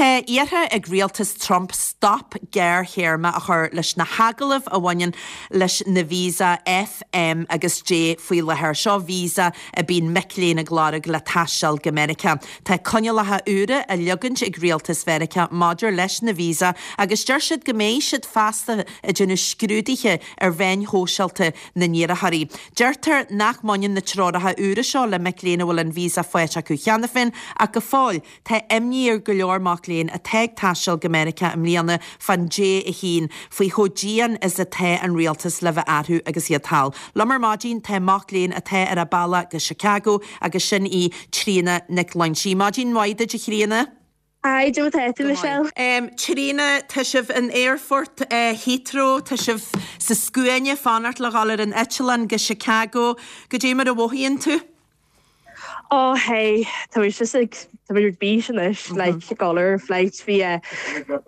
Tá iarrtha ag rialtas Trump stop gearrthéarma a chur leis na hagallaimh a bhaineann leis na visa F, M agus J faoi láthair. Seo visa a bíonn mic léinn ag lorg le taisteal go Meiriceá. Tá coinníollacha úra á leagaint ag rialtas Mheiriceá maidir leis na visa agus deir siad go mbeidh siad feasta ag déanamh scrúduithe ar mheáin shóisialta na n-iarrthóirí. Deirtear nach mbaineann na treoracha úra seo le mic léinn a bhfuil an visa faighte acu cheana féin ach go fóill tá imní ar go leor mac léinn atá ag taisteal go Meiriceá i mbliana fán J1 faoi chomh dian is atá an rialtas le bheith orthu agus iad thall. Liom ar maidin tá mac léinn atá ar a bealach go Chicago agus sin í Tríona Nic Loingsigh. Maidin mhaith duit a Thríona. Hi, cad é mar atá tú, Michelle. Tríona, tá sibh in aerfort Heathrow, tá sibh sa scuaine fanacht le dhul ar an eitleán go Chicago. Goidé mar a mhothaíonn tú? Oh hey, tá muid just ag, tá muid ar bís anois, like ag dul ar flight. Bhí eh,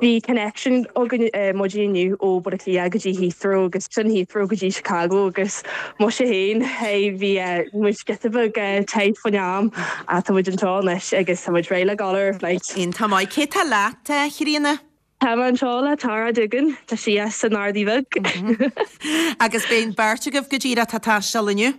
bhí connection againn eh, maidin inniu ó Baile Átha Cliath go dtí Heathrow agus sin Heathrow go dtí Chicago agus muise féin, hey, bhí eh, muid giota beag eh, tight faoin am ach tá muid anseo anois agus tá muid réidh le dul ar flight. Iontach maith. Cé tá leat, a Thríona? Tá mé anseo le Tara Duggan, tá sí as an Ardaidh Bheag. Agus beidh an bheirt agaibh go díreach ag taisteal inniu?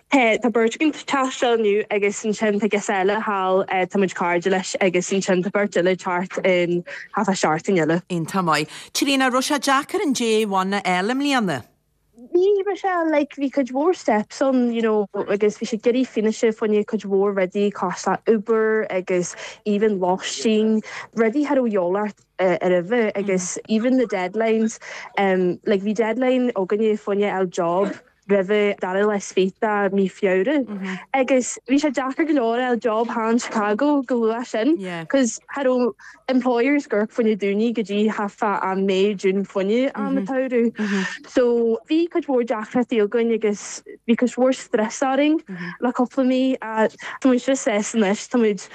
Tá, tá beirt againn ag taisteal inniu agus ansin tá girseach eile thall, tá muid cairde leis agus ansin tá beirt eile ag teacht in thart fá seachtain eile. Iontach maith. Tríona, raibh sé deacair an J1 a fháil i mbliana? Bhí, Michelle, like bhí cuid mhór steps ann, you know, agus bhí siad ag iarraidh fianaise fá choinne cuid mhór rudaí cosúil le Uber agus even lóistín, rudaí cha raibh de dhíobháil ort roimhe agus even the deadlines, um, like bhí deadline againne fá choinne fháil job roimhe dara lá is fiche de mí Feabhra agus bhí sé deacair go leor fháil job thall in Chicago chomh luath sin, cos cha raibh employers ag amharc fá choinne daoine go dtí thart fá am May, June fá choinne am an tsamhraidh. So bhí cuid mhór deacrachtaí againn agus bhí cuid mhór stress orainn le cúpla mí ach tá muid just sásta anois, tá muid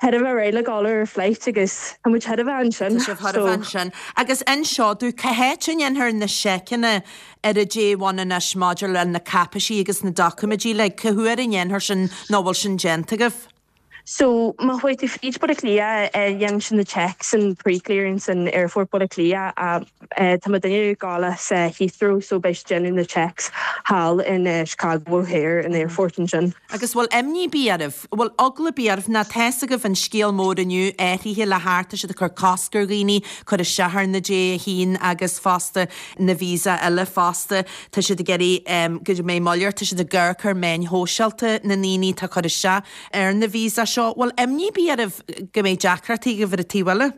thar a bheith réidh le dul ar flight agus tá muid thar a bheith ansin. Tá sibh thar a bheith ansin. Agus inis domh, cá háit a ndéanfar na seiceanna ar an J1 anois maidir le na cáipéisí agus na doiciméidí uilig, cá huair a ndéanfar sin nó bhfuil sin déanta agaibh? So, má chuaigh tú fríd Baile Átha Cliath, dhein siad na checks and pre-clearance in Aerfort Baile Átha Cliath. Tá mo duine ag gabháil as Heathrow so beidh siad déanamh na checks thall in Chicago O'Hare in aerfort ansin. Agus bhfuil imní ar bith oraibh, bhfuil eagla ar bith oraibh, nó tá's agaibh an scéal mór inniu, athraithe le theacht, tá siad ag cur cosc ar dhaoine cur isteach ar na J1 agus fosta na visa eile fosta, tá siad ag iarraidh go mbeidh moill air, tá siad ag amharc ar meáin shóisialta na ndaoine atá ag cur isteach. ar na visa seo. Bhfuil imní ar bith oraibh go mbeidh deacrachtaí agaibh ar an taobh eile?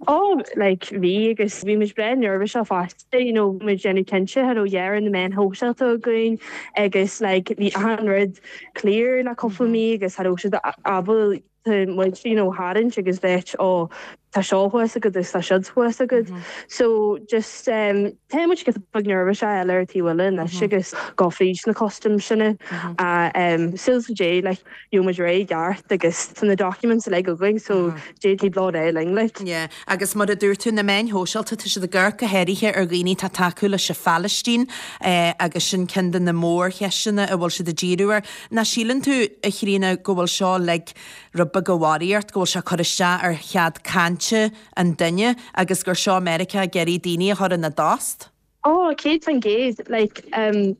Oh, like, bhí agus bhí muid breá neirbhíseach fosta, you know, bhí muid déanamh cinnte cha raibh dheireadh na meáin shóisialta againn agus like bhí achan rud clear le cúpla mí agus cha raibh siad ábalta muid, you know, tharraingt agus bheith oh tá seo thuas agat agus tá siúd thuas agat. So just um, tá muid giota beag neirbhíseach eile ar taobh eile anois agus go fríd na customs sin a um, súil le Dé like gheobhaidh muid réidh i gceart agus tá na documents uilig againn so Dé taobh leo réidh linn like. Yeah. Agus mar a dúirt tú, na meáin shóisialta, tá siad ag amharc go háirithe ar dhaoine atá ag tacú leis an Phalaistín eh, agus sin ceann de na mórcheisteanna a bhfuil siad ag díriú air. Nach síleann tú, a Thríona, go bhfuil seo like rud beag de bharraíocht, go bhfuil sé ag cur isteach ar chead cainte an duine agus gur seo Meiriceá ag iarraidh daoine a chur ina dtost? Oh, 100%. Like, um,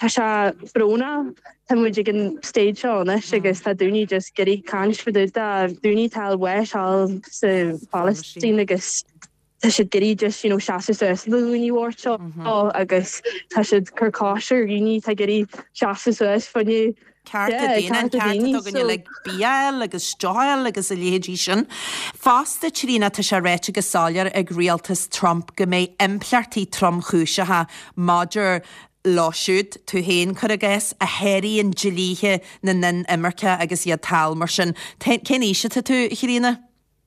tá sé brónach, tá muid ag an stage seo anois agus tá daoine just ag iarraidh caint fá dtaobh de daoine atá ag fáil bháis thall sa Phalaistín agus tá siad ag iarraidh just, you know, seasamh suas do dhaoine bhoicht seo agus tá siad ag cur cosc ar dhaoine atá ag iarraidh seasamh suas fá choinne Cearta daonna, an ceart atá againne le bia a fháil agus deoch a fháil agus a leithéidí sin. Fosta, Tríona, tá sé ráite go soiléir ag rialtas Trump go mbeidh impleachtaí tromchúiseacha maidir leo siúd, tú féin, cuir i gcás, a sháraíonn dlíthe na n-inimirceach agus iad thall mar sin. Cén aois atá tú, a Thríona?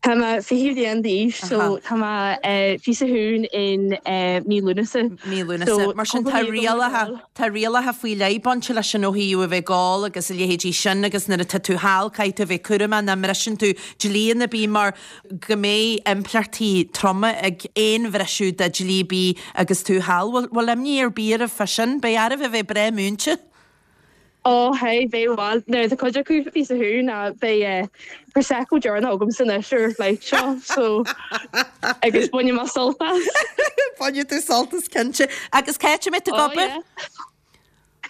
Tá mé 20 bliain d'aois so tá mé 21 in mí Lúnasa. Mí Lúnasa. Mar sin tá rialacha, tá rialacha faoi leith bainte leis sin ó thaobh a bheith ag ól agus a leithéidí sin agus nuair atá tú thall caithfidh tú a bheith cúramach nach mbriseann tú dlí ar bith mar go mbeidh impleachtaí troma ag aon bhriseadh de dhlí ar bith agus tú thall. Bhfuil imní ar bith oraibh fá sin? Beidh oraibh a bheith breá múinte? Ó hey, beidh bhuel, nuair atá cuid acu píosa thú ná beidh Prosecco deireanach agamsa anois ar an flight seo, so agus bainfidh mé sult as. Bainfidh tú sult as cinnte. Agus cá háit a mbeidh tú ag Oh obair?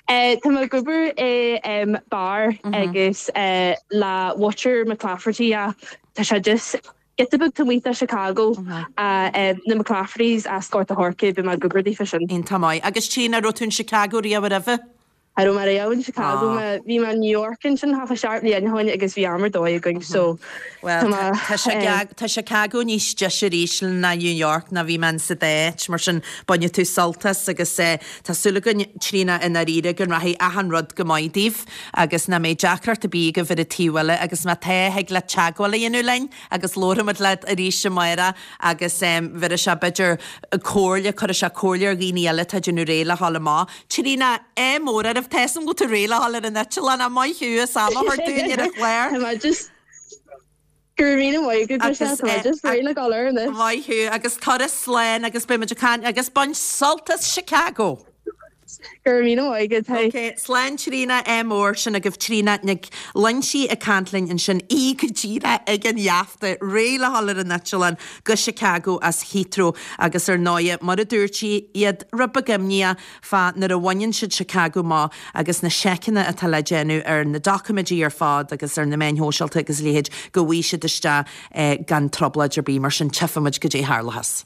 yeah. Tá mé ag obair i bar agus le muintir McClafferty tá sé just giota beag taobh amuigh de Chicago, na McClaffertys as Gort a' Choirce, beidh mé ag obair daofa sin. Iontach maith. Agus Tríona, raibh tú in Chicago riamh roimhe? Cha raibh mé riamh in Chicago, bhí mé in New York ansin thart fá sheacht mbliana ó shin agus bhí am ar dóigh againn so tá mé Bhuel, tá Chicago níos deise arís ná New York ná bhí mé in sa dá áit, mar sin bainfidh tú sult as agus tá súil againn Tríona i ndáiríre go rachaidh achan rud go maith daoibh agus nach mbeidh deacracht ar bith agaibh ar an taobh eile agus má tá thig leat teagmháil a dhéanamh linn agus labharfaimid leat arís amárach agus bheir sé b'fhéidir comhairle, cuirfidh sé comhairle ar dhaoine eile atá ag déanamh réidh le dhul amach. Tríona, ádh mór oraibh, tá 'fhios a'm go bhfuil tú réidh le dhul ar an eitleán ach maith thú as am a thabhairt dúinn ar an chlár. Tá mé just, go raibh míle maith agat Michelle, tá mé just réidh le dhul air anois. Maith thú agus turas slán agus beidh muid ag caint agus bain sult as Chicago! Go raibh míle maith agat, hey. Ok, slán Tríona, ádh mór, sin agaibh Tríona Nic Loinsigh ag caint linn ansin, í go díreach ag an gheafta, réidh le dhul ar an eitleán go Chicago as Heathrow agus ar ndóighe, mar a dúirt sí, iad rud beag imníoch fá nuair a bhaineann siad Chicago amach agus na seiceanna atá le déanamh ar na doiciméidí ar fad agus ar na meáin shóisialta agus a leithéid, go bhfaighidh siad isteach gan trioblóid ar bith, mar sin tchífidh muid goidé tharlóchas.